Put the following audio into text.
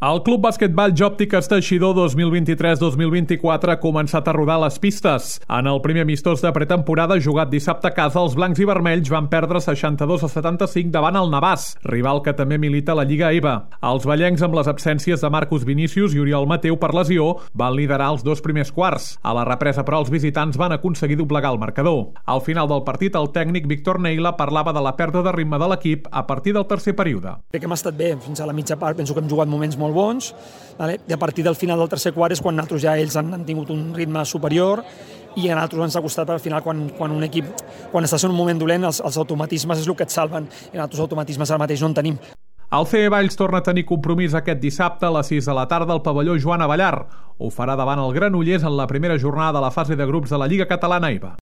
El Club Basquetball Jòptiques Teixidor 2023-2024 ha començat a rodar les pistes. En el primer amistós de pretemporada jugat dissabte a casa, els blancs i vermells van perdre 62-75 davant el Navàs, rival que també milita a la Lliga EVA. Els ballencs, amb les absències de Marcus Vinícius i Oriol Mateu per lesió, van liderar els dos primers quarts. A la represa, però, els visitants van aconseguir doblegar el marcador. Al final del partit, el tècnic Víctor Neila parlava de la pèrdua de ritme de l'equip a partir del tercer període. Crec que hem estat bé fins a la mitja part, penso que hem jugat moments molt bons, i a partir del final del tercer quart és quan nosaltres ja ells han tingut un ritme superior i a nosaltres ens ha costat al final quan un equip, quan estàs en un moment dolent, els automatismes és el que et salven i nosaltres automatismes ara mateix no en tenim. El CE Valls torna a tenir compromís aquest dissabte a les 6 de la tarda al pavelló Joan Abellar. Ho farà davant el Granollers en la primera jornada de la fase de grups de la Lliga Catalana EVA.